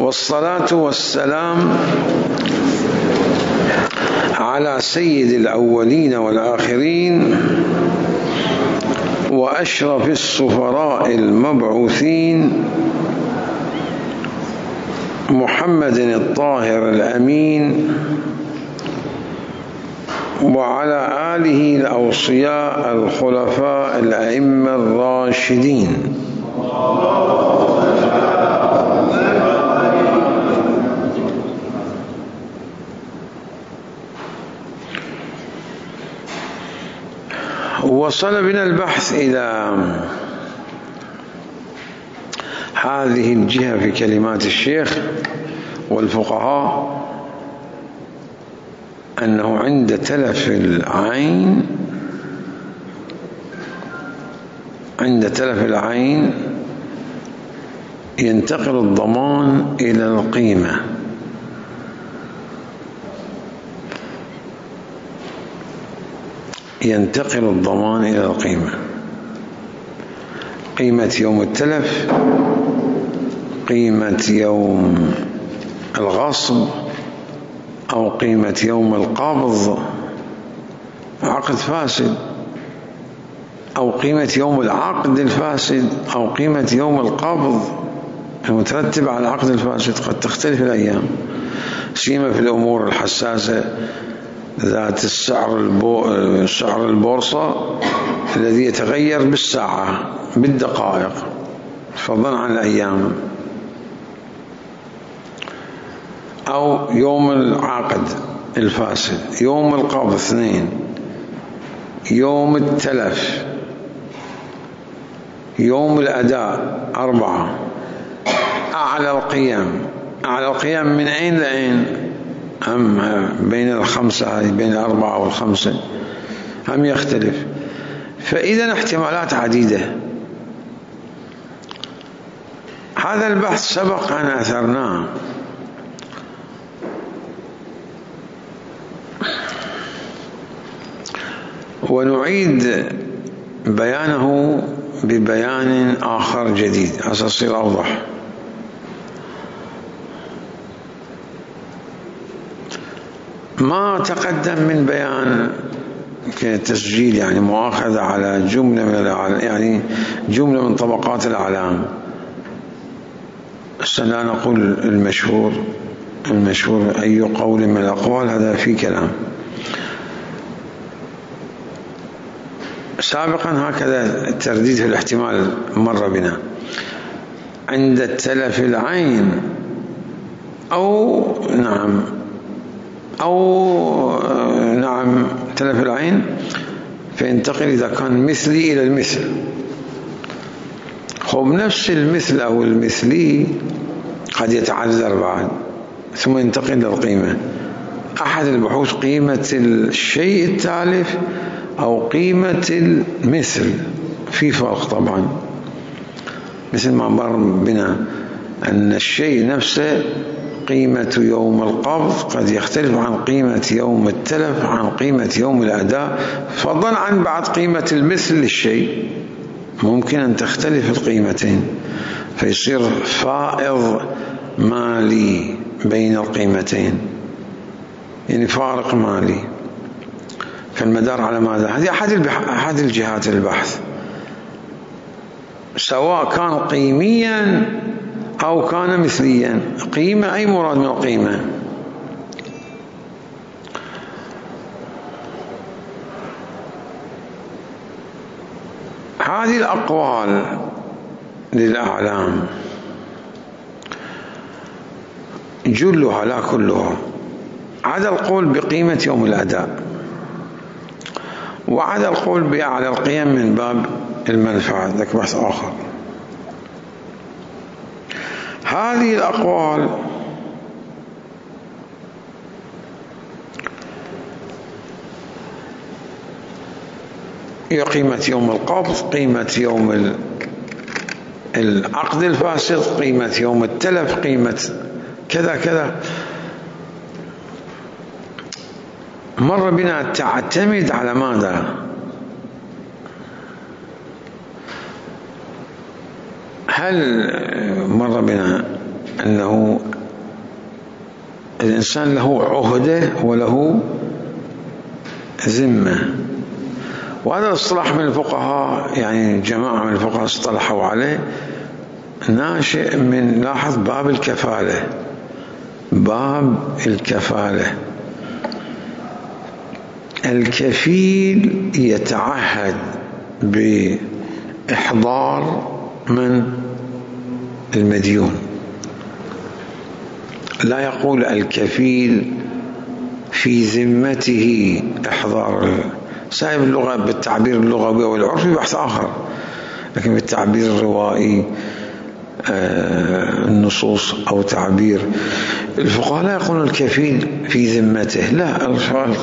والصلاة والسلام على سيد الأولين والآخرين وأشرف السفراء المبعوثين محمد الطاهر الأمين وعلى آله الأوصياء الخلفاء الأئمة الراشدين وصل بنا البحث إلى هذه الجهة في كلمات الشيخ والفقهاء أنه عند تلف العين ينتقل الضمان إلى القيمة. ينتقل الضمان إلى القيمة، قيمة يوم التلف، قيمة يوم الغصب، أو قيمة يوم القبض عقد فاسد، أو قيمة يوم العقد الفاسد، أو قيمة يوم القبض المترتب على العقد الفاسد. قد تختلف الأيام، سيما في الأمور الحساسة ذات سعر البورصة الذي يتغير بالساعة بالدقائق فضلا عن الأيام، أو يوم العقد الفاسد، يوم القبض 2، يوم التلف، يوم الأداء 4، أعلى القيم من أين لأين؟ هم بين الخمسة، هذه بين 4 و5 هم يختلف. فإذا احتمالات عديدة. هذا البحث سبق أن أثرناه، ونعيد بيانه ببيان آخر جديد عشان يصير أوضح. ما تقدم من بيان كتسجيل، يعني مؤاخذة على جملة من طبقات الأعلام. لا نقول المشهور أي قول من الأقوال، هذا في كلام. سابقا هكذا الترديد في الاحتمال مر بنا. عند تلف العين أو تلف العين فينتقل إذا كان مثلي إلى المثل. نفس المثل أو المثلي قد يتعذر بعد ثم ينتقل للقيمة. أحد البحوث قيمة الشيء التالف أو قيمة المثل، في فرق طبعا، مثل ما مر بنا أن الشيء نفسه قيمة يوم القبض قد يختلف عن قيمة يوم التلف، عن قيمة يوم الأداء، فضلا عن بعد قيمة المثل للشيء ممكن أن تختلف القيمتين، فيصير فائض مالي بين القيمتين، يعني فارق مالي. فالمدار على ماذا؟ هذه أحد الجهات البحث، سواء كان قيميا أو كان مثليا. قيمة أي مراد من القيمة؟ هذه الأقوال للأعلام جلها لا كلها عدا القول بقيمة يوم الأداء، وعدا القول بأعلى القيم من باب المنفعة، ذاك بحث آخر. هذه الأقوال هي قيمة يوم القبض، قيمة يوم العقد الفاسد، قيمة يوم التلف، قيمة كذا كذا. مر بنا تعتمد على ماذا؟ هل مر بنا أنه الإنسان له عهدة وله ذمة. وهذا الاصطلاح من الفقهاء، يعني جماعة من الفقهاء اصطلحوا عليه، ناشئ من، لاحظ، باب الكفالة. باب الكفالة، الكفيل يتعهد بإحضار من المديون، لا يقول الكفيل في ذمته إحضار. سائب اللغة بالتعبير اللغوي والعرفي بحث آخر، لكن بالتعبير الروائي النصوص أو تعبير الفقهاء لا يقولون الكفيل في ذمته، لا،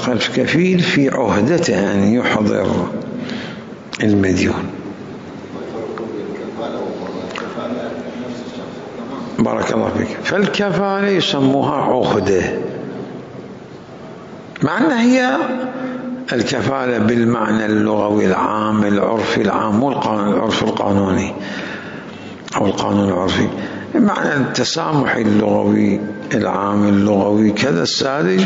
الكفيل في عهدته أن يحضر المديون. بارك الله فيك. فالكفالة يسموها عهدة، مع أنها هي الكفالة بالمعنى اللغوي العام العرفي العام، مو العرف القانوني أو القانون العرفي، معنى التسامح اللغوي العام اللغوي كذا الساذج.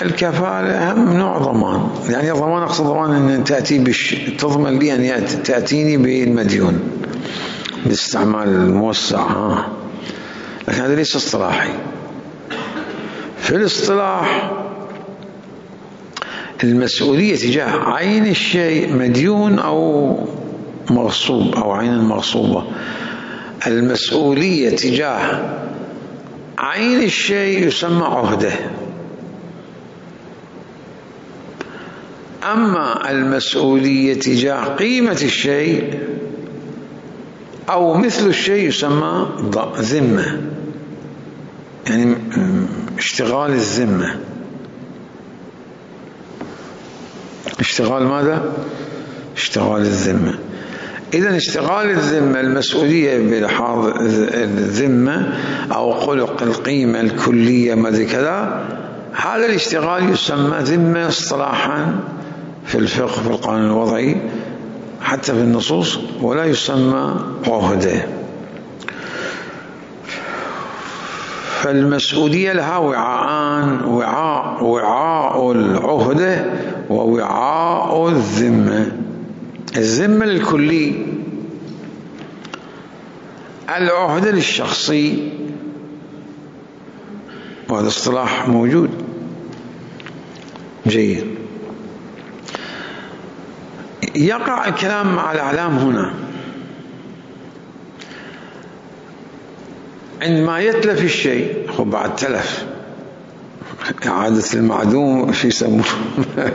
الكفالة هم نوع ضمان، يعني ضمان أقصد ضمان أن تأتي تضمن لي أن تأتيني بالمديون باستعمال الموسع، لكن هذا ليس اصطلاحي. في الاصطلاح المسؤولية تجاه عين الشيء، مديون أو مغصوب أو عين مغصوبة، المسؤولية تجاه عين الشيء يسمى عهدة. أما المسؤولية تجاه قيمة الشيء أو مثل الشيء يسمى ذمة، يعني اشتغال الذمة. اشتغال ماذا؟ اشتغال الذمة. إذن اشتغال الذمة، المسؤولية بلحاظ الذمة أو خلق القيمة الكلية ماذا كذا، هذا الاشتغال يسمى ذمة اصطلاحا في الفقه في القانون الوضعي حتى في النصوص، ولا يسمى عهدة. فالمسؤولية لها وعاءان، وعاء العهدة ووعاء الذمة. الذمة للكلي، العهدة للشخصي، وهذا اصطلاح موجود. جيد. يقع الكلام مع الأعلام هنا عندما يتلف الشيء. بعد تلف، إعادة المعدوم في يسموه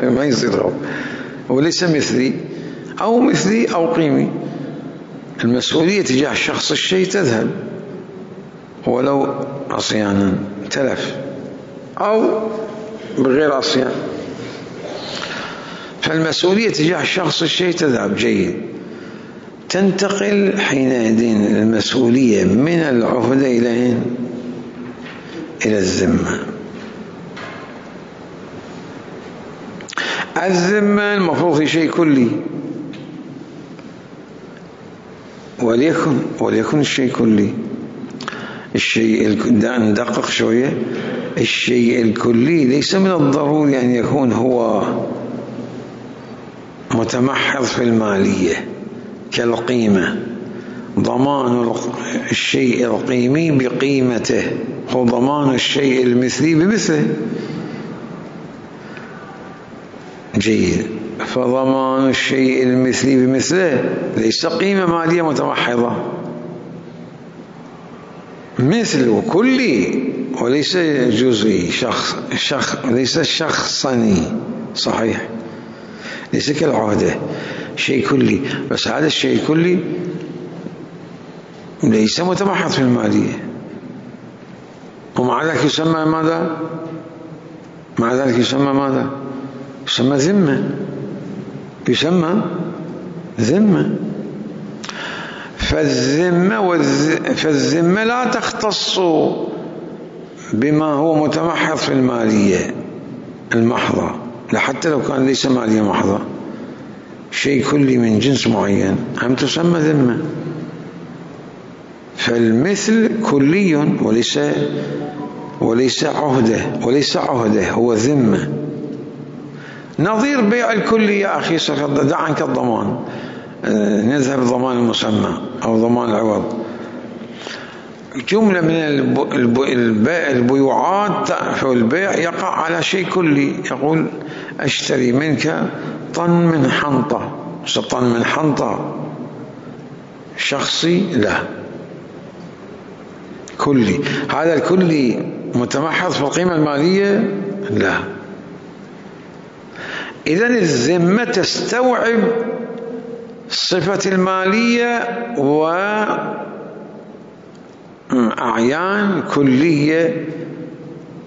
ما يصير غلط، وليس مثلي أو مثلي أو قيمي. المسؤولية تجاه شخص الشيء تذهب ولو عصيانا، تلف أو بغير عصيان، فالمسؤولية تجاه شخص الشيء تذهب. جيد. تنتقل حينئذ المسؤولية من العهدة إلى الذمة. الذمة المفروض في شيء كلي، وليكن الشيء كلي. الشيء ندقق شوية، الشيء الكلي ليس من الضروري أن يكون هو متمحض في المالية كالقيمة. ضمان الشيء القيمي بقيمته هو ضمان الشيء المثلي بمثله. جيد. فضمان الشيء المثلي بمثله ليس قيمة مالية متمحضة، مثل كلي وليس جزئي، ليس شخصني. صحيح، ليس كالعهدة شيء كلي، بس هذا الشيء كلي ليس متمحض في المالية، ومع ذلك يسمى ماذا؟ مع ذلك يسمى ماذا؟ يسمى ذمة. يسمى ذمة. فالذمة لا تختص بما هو متمحض في المالية المحضة، حتى لو كان ليس مالية محضة، شيء كلي من جنس معين هم تسمى ذمة. فالمثل كلي وليس وليس عهده هو ذمة. نظير بيع الكلي يا أخي دع عنك الضمان، نذهب ضمان المسمى أو ضمان العوض. جملة من البيوعات في البيع يقع على شيء كلي، يقول أشتري منك طن من حنطة، طن من حنطة شخصي لا، كلي. هذا الكلي متمحض في القيمة المالية لا. إذن الذمة تستوعب الصفة المالية وأعيان كلية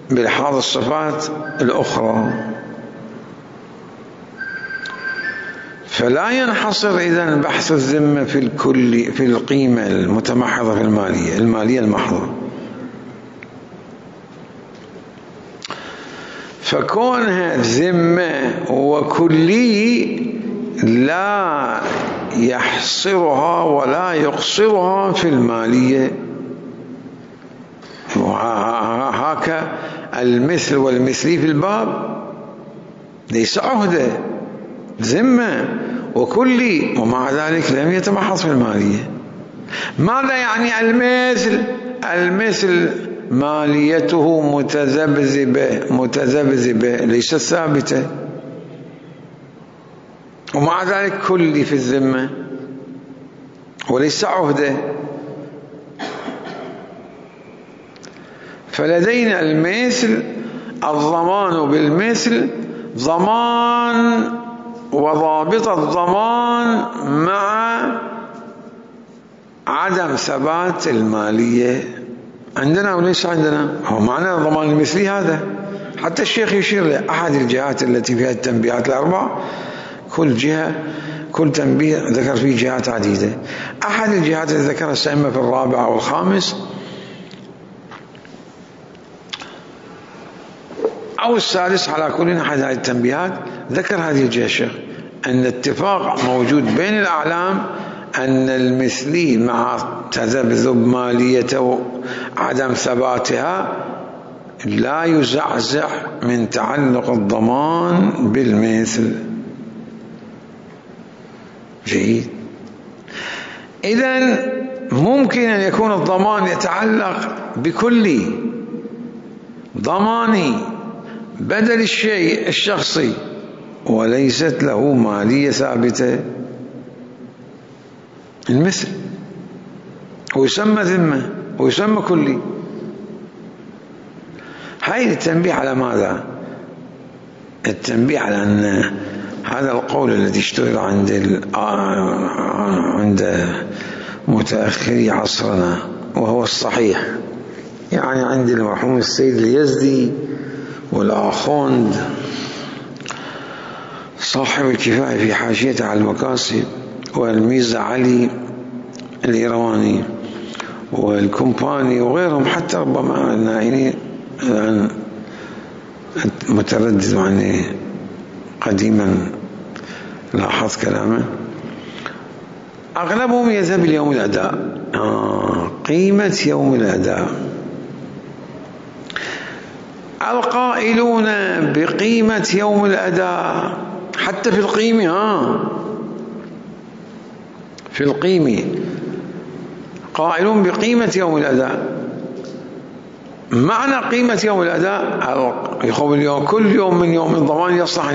بلحاظ الصفات الأخرى، فلا ينحصر إذن بحث الذمة في الكل في القيمة المتمحضة في المالية المحضة. فكونها ذمة وكلي لا يحصرها ولا يقصرها في المالية. هكا المثل والمثلي في الباب ليس عهده، ذمة وكلي، ومع ذلك لم يتمحض في المالية. ماذا يعني المثل ماليته متذبذبة ليست ثابتة، ومع ذلك كلي في الذمة وليس عهده. فلدينا المثل الضمان بالمثل ضمان وضابط الضمان مع عدم ثبات المالية عندنا وليس عندنا. هو معنى الضمان المثلي هذا. حتى الشيخ يشير لأحد الجهات التي فيها التنبيهات الأربع، كل جهة كل تنبيه ذكر فيه جهات عديدة. أحد الجهات التي ذكرها الأئمة في الرابع والخامس أو السادس على كل أحد هذه التنبيهات ذكر هذه الجهة الشيخ أن اتفاق موجود بين الأعلام أن المثلي مع تذبذب ماليته وعدم ثباتها لا يزعزع من تعلق الضمان بالمثل. جيد. إذن ممكن أن يكون الضمان يتعلق بكل ضماني بدل الشيء الشخصي وليست له مالية ثابتة، المثل ويسمى ذمة ويسمى كلي. هاي التنبيه على ماذا؟ التنبيه على أن هذا القول الذي اشتهر عند متأخري عصرنا وهو الصحيح، يعني عند المرحوم السيد اليزدي والآخوند صاحب الكفاية في حاشيته على المقاصد، والميزة علي الإيرواني والكومباني وغيرهم، حتى ربما النائين الآن متردد عني قديما لاحظت كلامه، أغلبهم يذهب ليوم الأداء. قيمة يوم الأداء. القائلون بقيمة يوم الأداء حتى في القيمة في القيمة قائلون بقيمة يوم الأداء. معنى قيمة يوم الأداء يقول اليوم كل يوم من يوم الضمان يصلح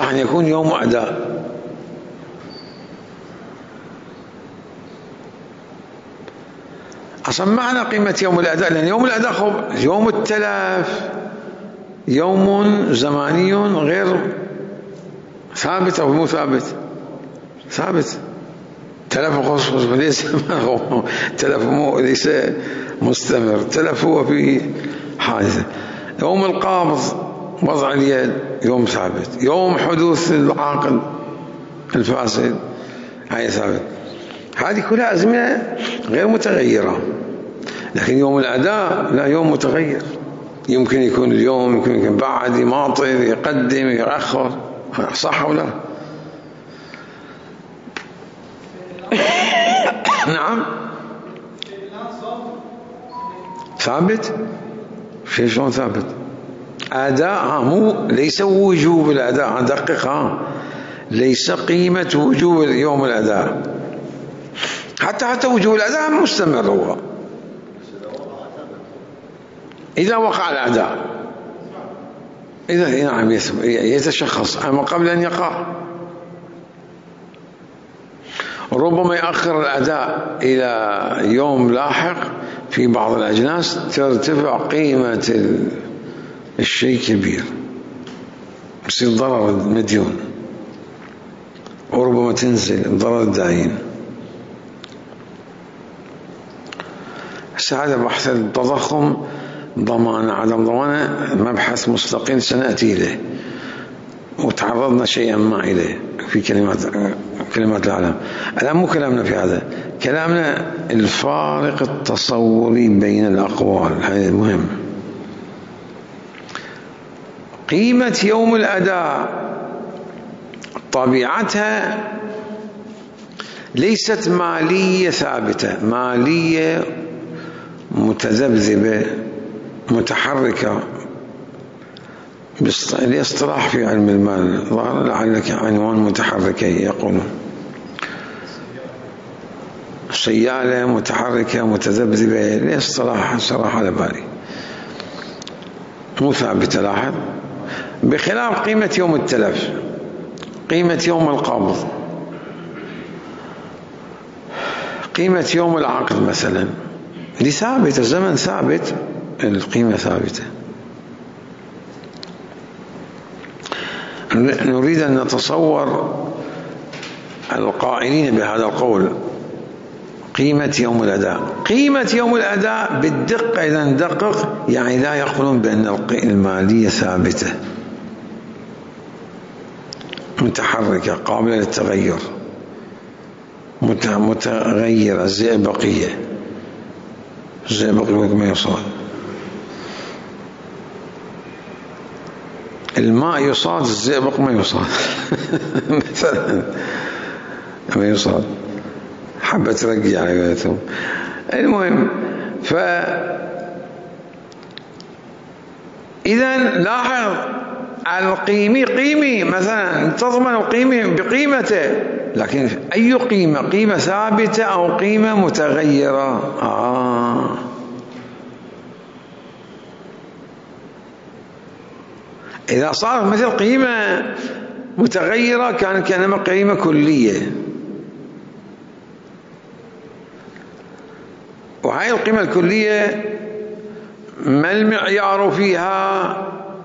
أن يكون يوم أداء. أصلا معنى قيمة يوم الأداء، لأن يوم الأداء يوم التلف يوم زماني غير ثابت أو مو ثابت، ثابت. تلف خصوص ليس تلف ليس مستمر، تلف هو في حادثة. يوم القبض وضع اليد يوم ثابت، يوم حدوث العاقل الفاسد هاي ثابت. هذه كلها أزمنة غير متغيرة. لكن يوم الأداء لا، يوم متغير، يمكن يكون اليوم، يمكن بعد، يماطل، يقدم، يأخر. صح ولا؟ نعم. ثابت؟ شلون ثابت؟ أداء مو ليس وجوب الأداء، دقق ليس قيمة وجوب يوم الأداء، حتى وجوب الأداء مستمر هو إذا وقع الأداء، إذا نعم يتشخص، أما قبل أن يقع ربما يأخر الأداء إلى يوم لاحق. في بعض الأجناس ترتفع قيمة الشيء كبير، يصير ضرر المديون، وربما تنزل ضرر الداين. هذا بحث التضخم ضمان عدم ضمانه مبحث مستقل سنأتي إليه، وتعرضنا شيئا ما إليه في كلمات العالم. الآن مو كلامنا في هذا، كلامنا الفارق التصوري بين الأقوال، هذا مهم. قيمة يوم الأداء طبيعتها ليست مالية ثابتة، مالية متذبذبة متحركة، الاصطلاح في علم المال لعلك عنوان متحركة يقولون سيالة متحركة متذبذبة، الاصطلاح صراحة على بالي مو ثابتة. لاحظ، بخلاف قيمة يوم التلف، قيمة يوم القبض، قيمة يوم العقد مثلا، دي ثابتة، الزمن ثابت، القيمة ثابتة. نريد أن نتصور القائلين بهذا القول قيمة يوم الأداء. قيمة يوم الأداء بالدقة إذا ندقق يعني لا يقولون بأن المالية ثابتة، متحركة قابلة للتغير، متغيرة، الزئبقية، الزئبق ما يصاد، الماء يصاد، الزئبق ما يصاد مثلا ما يصاد، حبة ترقي على قولتهم. المهم، إذا لاحظ القيمي قيمي مثلا تضمن القيمي بقيمته، لكن أي قيمة؟ قيمة ثابتة أو قيمة متغيرة؟ إذا صارت مثل قيمة متغيرة كانت كأنما قيمة كلية، وهي القيمة الكلية ما المعيار فيها؟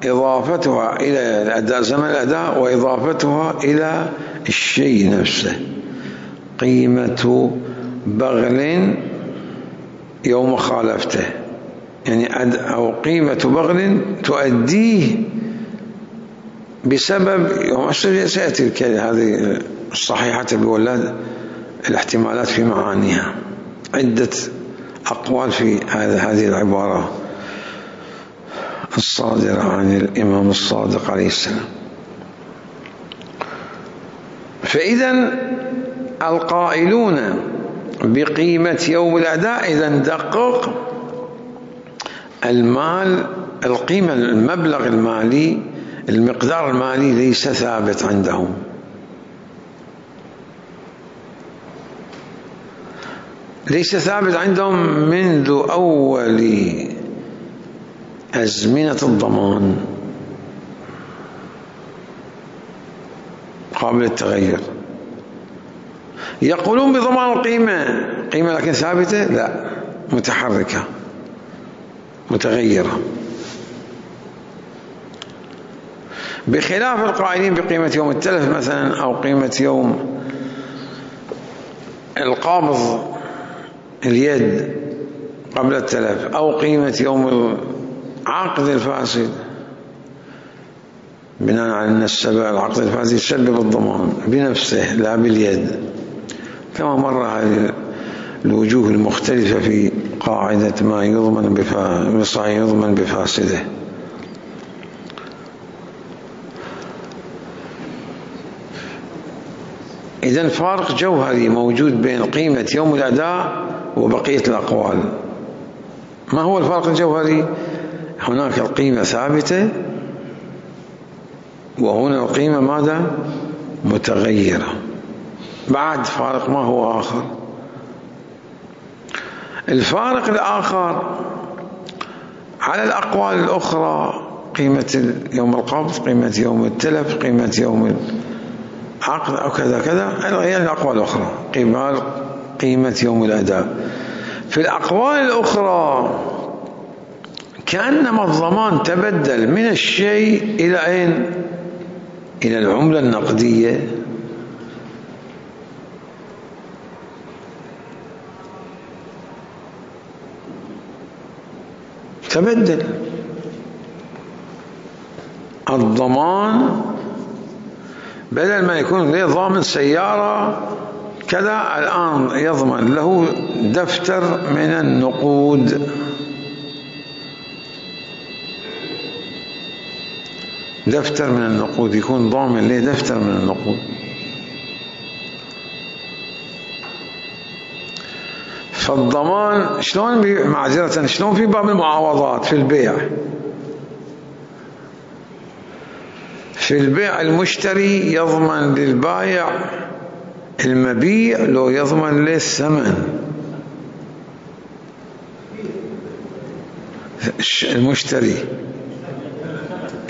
إضافتها إلى الأداء، زمن الأداء، وإضافتها إلى الشيء نفسه. قيمة بغل يوم خالفته، يعني أو قيمة بغل تؤديه بسبب يوم سيأتي هذه الصحيحة بولاد الاحتمالات في معانيها، عدة أقوال في هذه العبارة الصادرة عن الإمام الصادق عليه السلام. فإذا القائلون بقيمة يوم الأداء إذا ندقق المال، القيمة، المبلغ المالي، المقدار المالي ليس ثابت عندهم، ليس ثابت عندهم منذ أول أزمنة الضمان، قابل للتغير. يقولون بضمان القيمة، قيمة لكن ثابتة؟ لا، متحركة متغيرة، بخلاف القائلين بقيمة يوم التلف مثلا، أو قيمة يوم القابض اليد قبل التلف، أو قيمة يوم العقد الفاسد، بناء على أن العقد الفاسد يسبب الضمان بنفسه لا باليد، كما مر هذه الوجوه المختلفة في قاعدة ما يضمن بصحيح يضمن بفاسده. إذن فارق جوهري موجود بين قيمة يوم الأداء وبقية الأقوال، ما هو الفارق الجوهري؟ هناك القيمة ثابتة وهنا القيمة ماذا؟ متغيرة. بعد فارق ما هو آخر؟ الفارق الآخر على الأقوال الأخرى، قيمة يوم القبض، قيمة يوم التلف، قيمة يوم العقد أو كذا كذا، يعني الأقوال الأخرى قيمة يوم الأداء. في الأقوال الأخرى كأنما الضمان تبدل من الشيء إلى أين؟ إلى العملة النقدية. تبدل الضمان، بدل ما يكون له ضامن سيارة كذا، الآن يضمن له دفتر من النقود. دفتر من النقود، يكون ضامن له دفتر من النقود. فالضمان شلون معذرة شلون في باب المعاوضات في البيع؟ في البيع المشتري يضمن للبائع المبيع لو يضمن له الثمن.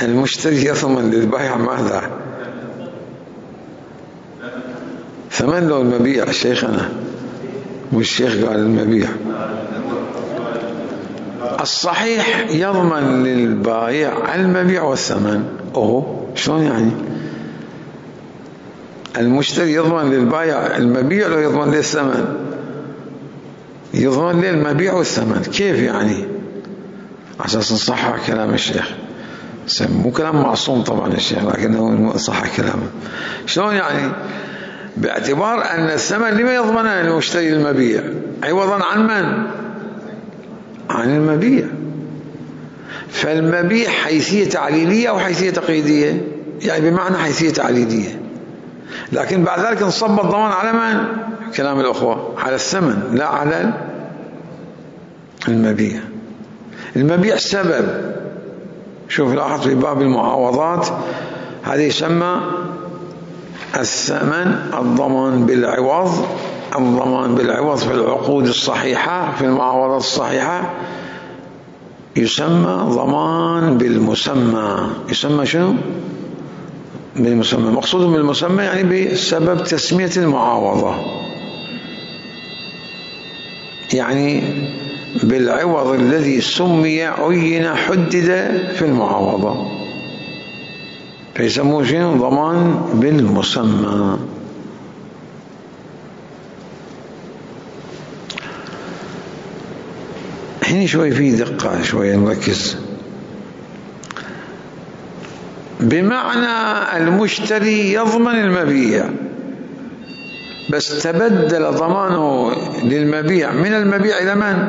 المشتري يضمن للبائع ماذا؟ ثمن لو المبيع؟ شيخنا والشيخ قال المبيع. الصحيح يضمن للبائع المبيع والثمن. شلون يعني؟ المشتري يضمن للبائع المبيع لو يضمن له الثمن؟ يضمن له المبيع والثمن. كيف يعني؟ عشان نصحح كلام الشيخ، مو كلام معصوم طبعا الشيخ، لكنه صحح كلامه. شلون يعني؟ باعتبار أن الثمن لما يضمنه المشتري المبيع عوضا عن من؟ عن المبيع. فالمبيع حيثية تعليلية أو حيثية تقييدية؟ يعني بمعنى حيثية تعليلية، لكن بعد ذلك انصب الضمان على من؟ كلام الأخوة على الثمن لا على المبيع. المبيع سبب. شوف لاحظ في باب المعاوضات هذه يسمى الثمن الضمان بالعوض. الضمان بالعوض في العقود الصحيحة في المعاوضات الصحيحة يسمى ضمان بالمسمى. يسمى شنو؟ بالمسمى. مقصود بالمسمى يعني بسبب تسمية المعاوضة، يعني بالعوض الذي سمي عين حدد في المعاوضة، فيسموه شنو؟ ضمان بالمسمى. هنا شوي في دقة، شوي نركز. بمعنى المشتري يضمن المبيع، بس تبدل ضمانه للمبيع من المبيع إلى من؟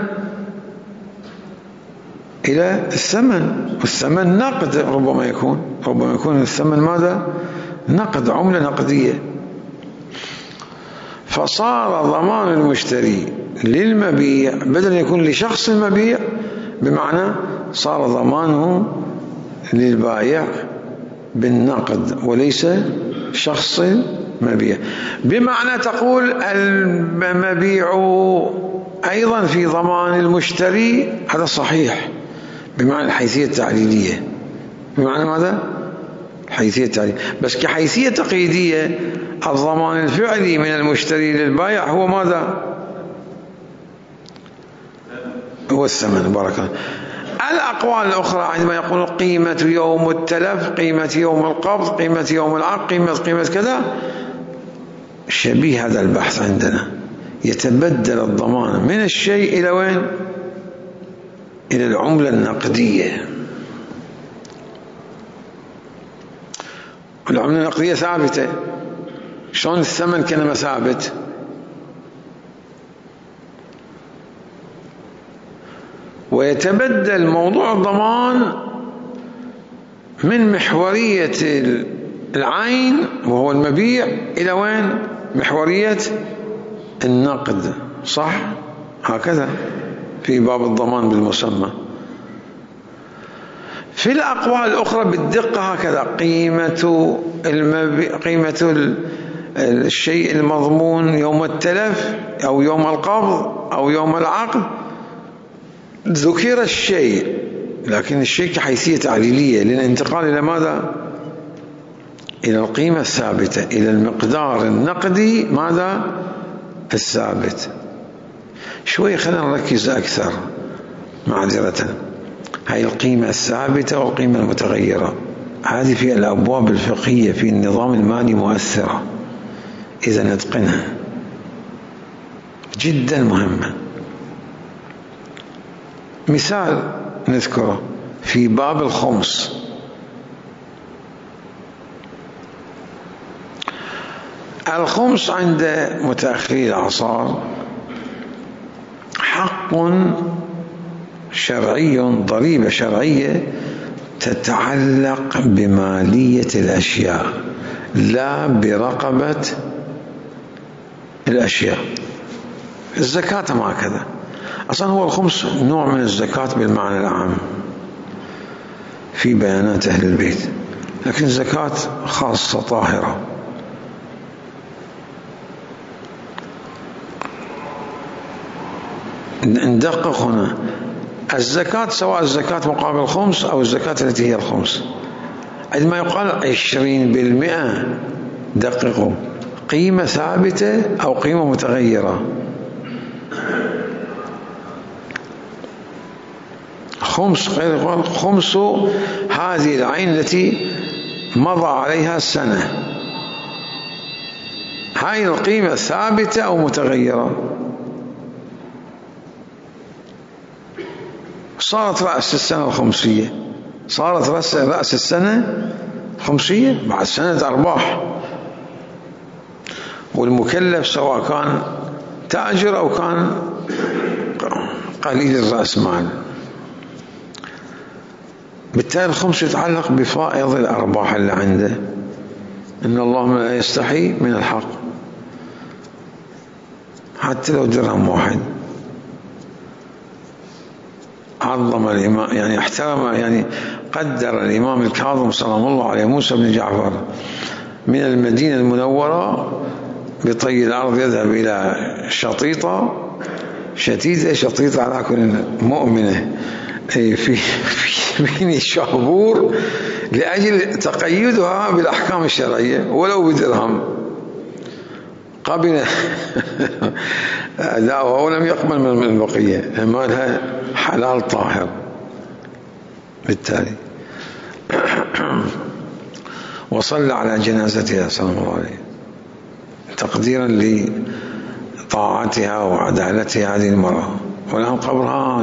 إلى الثمن. والثمن نقد، ربما يكون الثمن ماذا؟ نقد، عملة نقدية. فصار ضمان المشتري للمبيع بدل يكون لشخص المبيع، بمعنى صار ضمانه للبائع بالنقد وليس شخص المبيع. بمعنى تقول المبيع أيضا في ضمان المشتري، هذا صحيح بمعنى الحيثية التعليلية. بمعنى ماذا؟ حيثية التعليل. بس كحيثية تقييدية الضمان الفعلي من المشتري للبائع هو ماذا؟ هو الثمن. بارك الله. الأقوال الأخرى عندما يقول قيمة يوم التلف، قيمة يوم القبض، قيمة يوم العقد، قيمة كذا، شبيه هذا البحث عندنا. يتبدل الضمان من الشيء إلى وين؟ إلى العملة النقدية. العملة النقدية ثابتة. شلون الثمن كان ثابت؟ ويتبدل موضوع الضمان من محورية العين وهو المبيع إلى وين؟ محورية النقد. صح؟ هكذا في باب الضمان بالمسمى. في الأقوال الأخرى بالدقة هكذا: قيمة الشيء المضمون يوم التلف أو يوم القبض أو يوم العقد. ذكر الشيء، لكن الشيء كحيثية تعليلية للانتقال إلى ماذا؟ إلى القيمة الثابتة، إلى المقدار النقدي ماذا؟ الثابت. شوي خلينا نركز أكثر معذرة. هاي القيمة الثابتة والقيمة المتغيرة هذه في الأبواب الفقهية في النظام المالي مؤثرة، إذا نتقنها جدا مهمة. مثال نذكره في باب الخمس: الخمس عند متأخري الأعصار حق شرعي، ضريبة شرعية تتعلق بمالية الأشياء لا برقبة الأشياء. الزكاة ما هكذا، أصلا هو الخمس نوع من الزكاة بالمعنى العام في بيانات أهل البيت، لكن الزكاة خاصة طاهرة. ندقق هنا: الزكاة سواء الزكاة مقابل الخمس أو الزكاة التي هي الخمس، عندما يقال 20%، دققوا، قيمة ثابتة أو قيمة متغيرة؟ خمس خمس هذه العين التي مضى عليها السنة، هاي القيمة ثابتة أو متغيرة؟ صارت رأس السنة الخمسية، صارت رأس السنة خمسية بعد سنة أرباح، والمكلف سواء كان تاجر أو كان قليل الرأس مال. بالتالي الخمس يتعلق بفائض الأرباح اللي عنده. إن الله لا يستحي من الحق، حتى لو درهم واحد. عظم الإمام، يعني احترم، يعني قدر الإمام الكاظم سلام الله عليه موسى بن جعفر من المدينة المنورة بطي الأرض يذهب إلى شطيطة شطيطة على كل مؤمنة في بني الشهبور لأجل تقيدها بالأحكام الشرعية ولو بدرهم. قبل أداؤها ولم يقبل من البقية، مالها حلال طاهر. بالتالي وصلى على جنازتها سلام الله عليه تقديرا لطاعتها وعدالتها هذه المرأة، والآن قبرها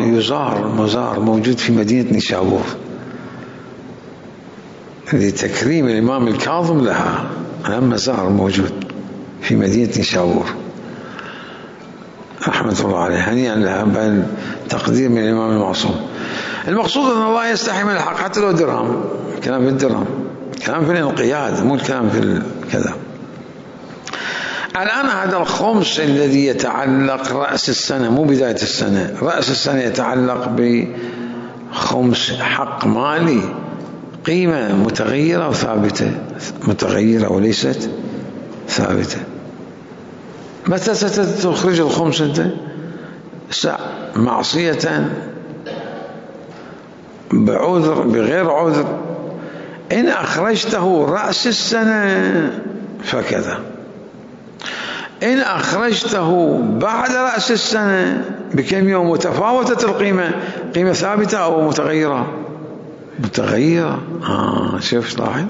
مزار موجود في مدينة نيشابور لتكريم الإمام الكاظم لها. مزار موجود في مدينة نيشابور رحمة الله عليه، هنيئا لها، بل تقدير من الإمام المعصوم. المقصود أن الله يستحي من الحق حتى لو درهم. كلام في الدرهم، كلام في الانقياد، مو الكلام في كذا. الآن هذا الخمس الذي يتعلق رأس السنة، مو بداية السنة، رأس السنة يتعلق بخمس حق مالي، قيمة متغيرة وثابتة، متغيرة وليست ثابتة. متى ستخرج الخمس أنت؟ معصية بعذر بغير عذر، إن أخرجته رأس السنة فكذا، إن أخرجته بعد رأس السنة بكم يوم متفاوتة القيمة، قيمة ثابتة أو متغيرة؟ متغيرة. شوف لاحظ.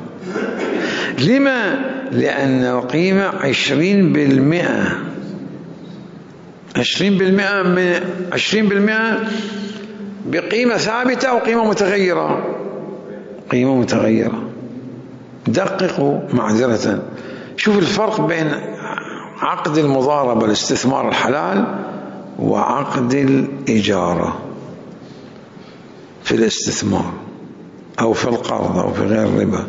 لما؟ لأن القيمة 20%، 20% بقيمة ثابتة أو قيمة متغيرة؟ قيمة متغيرة. دققوا معذرة، شوف الفرق بين عقد المضاربة الاستثمار الحلال وعقد الإجارة في الاستثمار أو في القرض أو في غير الربا.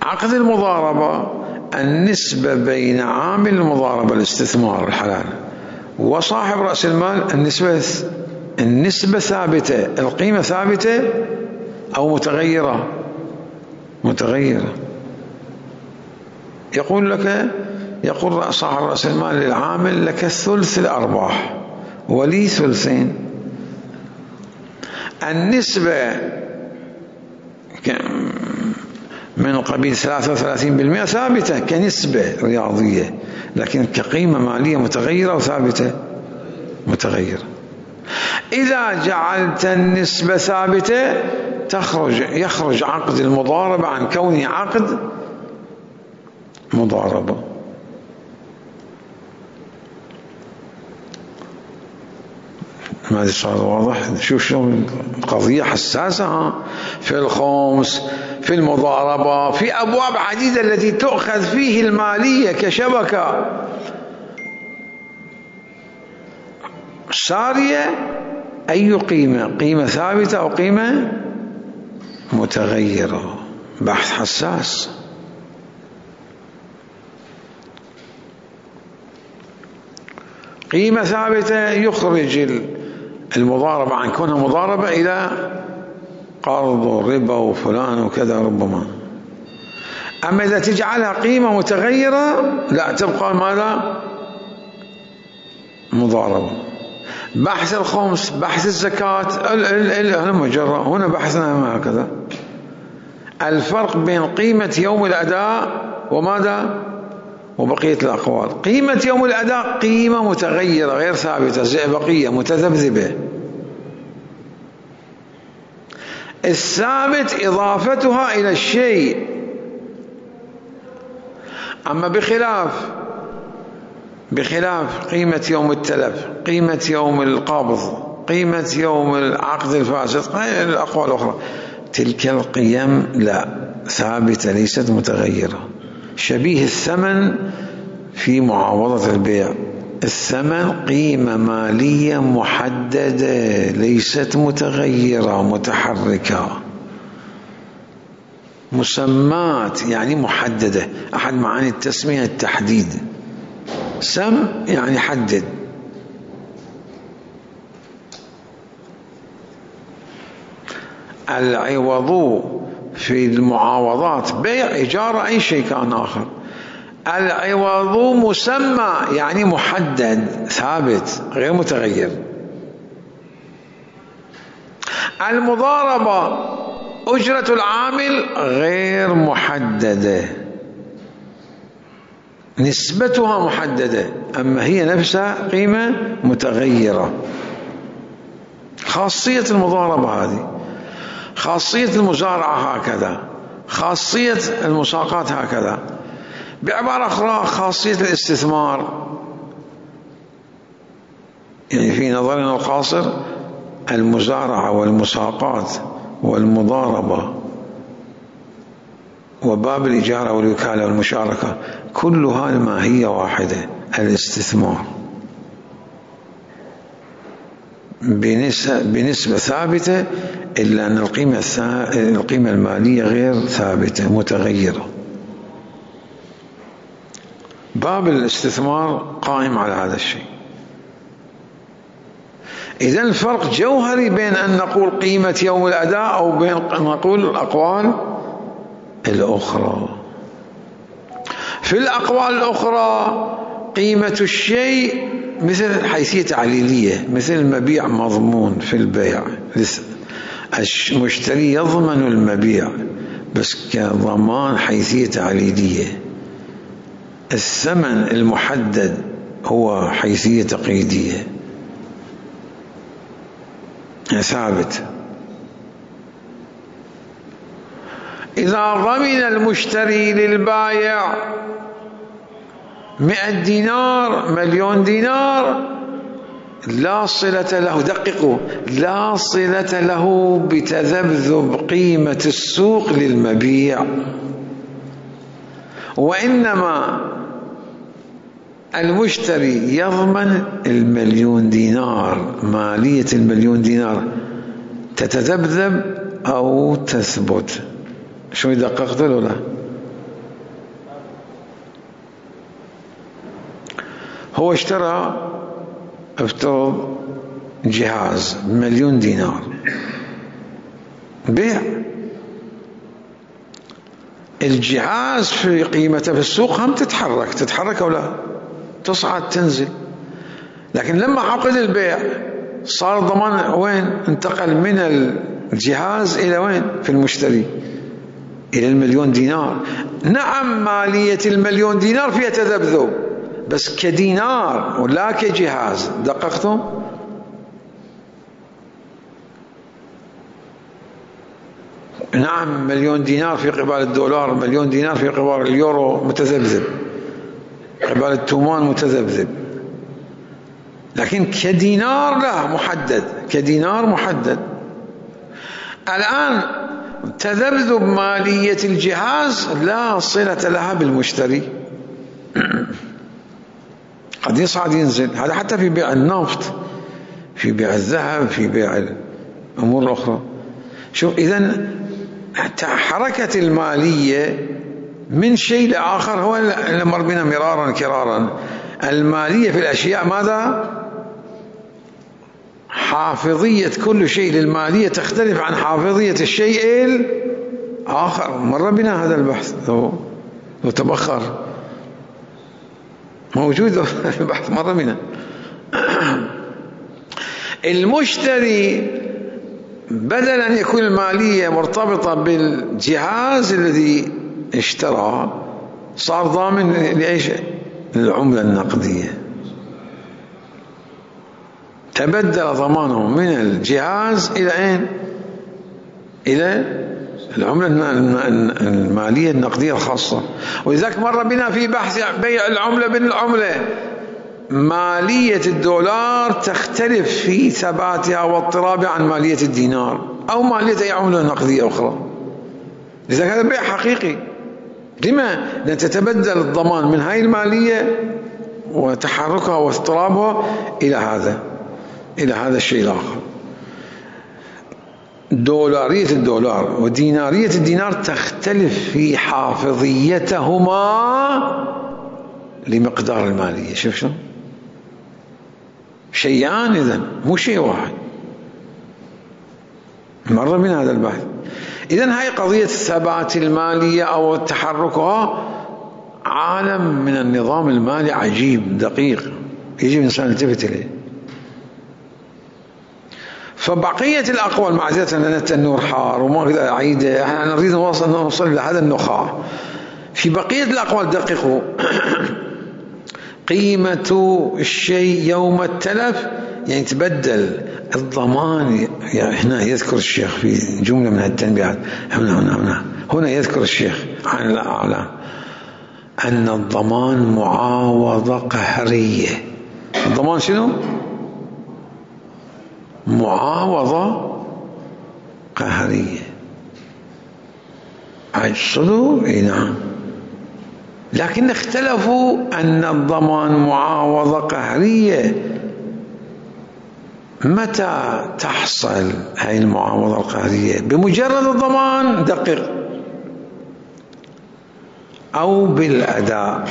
عقد المضاربة النسبة بين عامل المضاربة الاستثمار الحلال وصاحب رأس المال النسبة النسبة ثابتة، القيمة ثابتة أو متغيرة؟ متغيرة. يقول صاحب رأس المال للعامل: لك ثلث الأرباح ولي ثلثين. النسبة من قبيل 33% ثابتة كنسبة رياضية، لكن كقيمة مالية متغيرة أو ثابتة؟ متغيرة. إذا جعلت النسبة ثابتة يخرج عقد المضاربة عن كونه عقد مضاربة. ما ادري صار واضح؟ شوف شلون القضية حساسة في الخمس، في المضاربة، في أبواب عديدة التي تؤخذ فيه المالية كشبكة سارية. أي قيمة ثابتة أو قيمة متغيرة؟ بحث حساس. قيمة ثابتة يخرج المضاربة عن كونها مضاربة إلى قرض وربا وفلان وكذا ربما. أما إذا تجعلها قيمة متغيرة لا، تبقى ماذا؟ مضاربة. بحث الخمس، بحث الزكاة، هنا بحثنا هكذا. الفرق بين قيمة يوم الأداء وماذا؟ وبقية الأقوال. قيمة يوم الأداء قيمة متغيرة غير ثابتة، زئبقية متذبذبة. الثابت إضافتها إلى الشيء. أما بخلاف قيمة يوم التلف، قيمة يوم القبض، قيمة يوم العقد الفاسد، الأقوال الأخرى، تلك القيم لا، ثابتة ليست متغيرة. شبيه الثمن في معاوضة البيع. الثمن قيمة مالية محددة ليست متغيرة متحركة. مسمات يعني محددة، أحد معاني التسمية التحديد. سم يعني حدد. العوض في المعاوضات بيع، إجارة، أي شيء كان آخر. العوض مسمى يعني محدد ثابت غير متغير. المضاربة أجرة العامل غير محددة، نسبتها محددة، أما هي نفسها قيمة متغيرة. خاصية المضاربة هذه، خاصية المزارعة هكذا، خاصية المساقات هكذا. بعبارة أخرى خاصية الاستثمار، يعني في نظرنا القاصر المزارعة والمساقات والمضاربة وباب الإجارة والوكالة والمشاركة كلها الماهية واحدة، الاستثمار بنسبة ثابتة، إلا أن القيمة المالية غير ثابتة متغيرة. باب الاستثمار قائم على هذا الشيء. إذن الفرق جوهري بين أن نقول قيمة يوم الأداء أو بين أن نقول الأقوال الأخرى. في الأقوال الأخرى قيمة الشيء مثل حيثية تعليلية، مثل المبيع مضمون في البيع، المشتري يضمن المبيع بس كضمان حيثية تعليلية. الثمن المحدد هو حيثية تقييدية ثابت. إذا ضمن المشتري للبائع 100 دينار 1,000,000 دينار لا صلة له، دققوا، لا صلة له بتذبذب قيمة السوق للمبيع، وإنما المشتري يضمن 1,000,000 دينار، مالية 1,000,000 دينار تتذبذب أو تثبت. شو دققت له؟ لا، هو اشترى، افترض جهاز ب1,000,000 دينار، بيع. الجهاز في قيمته في السوق هم تتحرك أو لا، تصعد تنزل. لكن لما عقد البيع صار ضمان وين؟ انتقل من الجهاز إلى وين؟ في المشتري، إلى 1,000,000 دينار. نعم مالية 1,000,000 دينار فيها تذبذب، بس كدينار ولا كجهاز. دققتم؟ نعم 1,000,000 دينار في قبال الدولار، 1,000,000 دينار في قبال اليورو متذبذب، قبال التومان متذبذب، لكن كدينار لا، محدد، كدينار محدد. الآن تذبذب مالية الجهاز لا صلة لها بالمشتري، قد يصعد ينزل. هذا حتى في بيع النفط، في بيع الذهب، في بيع الأمور الأخرى. شوف، إذن حركة المالية من شيء لآخر هو اللي مر بنا مرارا كرارا. المالية في الأشياء ماذا؟ حافظية كل شيء للمالية تختلف عن حافظية الشيء الآخر. مر بنا هذا البحث، لو تبخر موجود في البحث، مر بنا. المشتري بدل أن يكون المالية مرتبطة بالجهاز الذي اشترى، صار ضامن لأيش؟ للعملة النقدية. تبدل ضمانه من الجهاز إلى أين؟ إلى العملة المالية النقدية الخاصة. ولذلك مر بنا في بحث بيع العملة بين العملة، مالية الدولار تختلف في ثباتها واضطرابها عن مالية الدينار أو مالية أي عملة نقدية أخرى. لذلك هذا بيع حقيقي. لما؟ لأن تتبدل الضمان من هاي المالية وتحركها واضطرابها إلى هذا الشيء الآخر. دولارية الدولار ودينارية الدينار تختلف في حافظيتهما لمقدار المالية. شوف شو شيئان، إذن مو شيء واحد. مر من هذا البحث. إذن هاي قضية ثبات المالية أو تحركها عالم من النظام المالي عجيب دقيق، يجب الإنسان يلتفت إليه. فبقية الأقوال، معذرة لأن التنور حار وما أريد أعيده، احنا نريد نوصل إلى هذا النخاع. في بقية الأقوال دققوا. قيمة الشيء يوم التلف، يعني تبدل الضمان. يعني هنا يذكر الشيخ في جملة من التنبيهات، هنا يذكر الشيخ عن الأعلام أن الضمان معاوضة قهرية. الضمان شنو؟ معاوضة قهرية. صدق؟ اي نعم. لكن اختلفوا أن الضمان معاوضة قهرية. متى تحصل هاي المعاوضة القهرية؟ بمجرد الضمان؟ دقق. أو بالأداء؟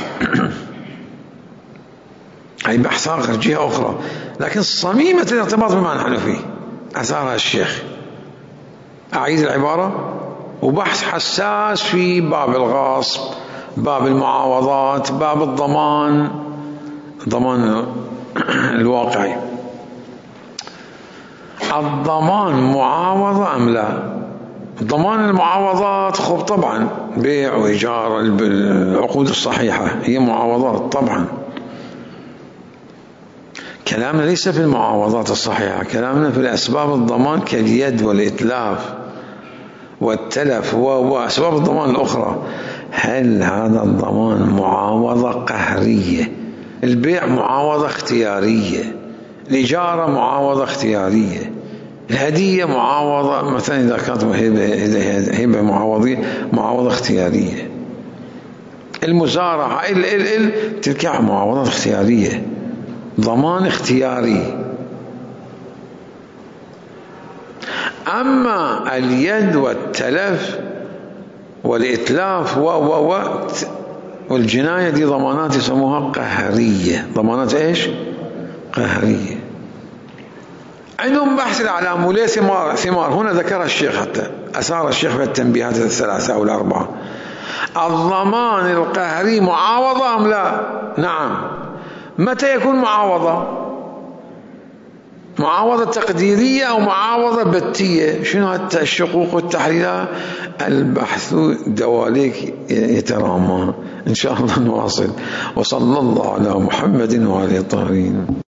هاي بحث آخر، جهة أخرى، لكن صميمة الارتباط بما نحن فيه أثارها الشيخ. أعيد العبارة. وبحث حساس في باب الغصب، باب المعاوضات، باب الضمان الواقعي. الضمان معاوضة أم لا؟ ضمان المعاوضات خب طبعا بيع وإيجار، العقود الصحيحة هي معاوضات طبعا. كلامنا ليس في المعاوضات الصحيحة، كلامنا في الأسباب الضمان كاليد والإتلاف والتلف وأسباب الضمان الأخرى. هل هذا الضمان معاوضة قهرية؟ البيع معاوضة اختيارية، الإجارة معاوضة اختيارية، الهدية معاوضة مثلا إذا كانت هبة معاوضة اختيارية، المزارعة تلك معاوضات اختيارية، ضمان اختياري. أما اليد والتلف والإتلاف والجناية دي ضمانات يسموها قهرية. ضمانات إيش؟ قهرية. عندهم بحث الأعلام وليه ثمار هنا ذكر الشيخ، حتى أثار الشيخ بالتنبيهات الثلاثة أو الأربعة. الضمان القهري معاوضة أم لا؟ نعم. متى يكون معاوضة تقديرية أو معاوضة بتية؟ شنو الشقوق والتحليلات؟ البحث دواليك يترامى. إن شاء الله نواصل، وصلى الله على محمد وعلى الطاهرين.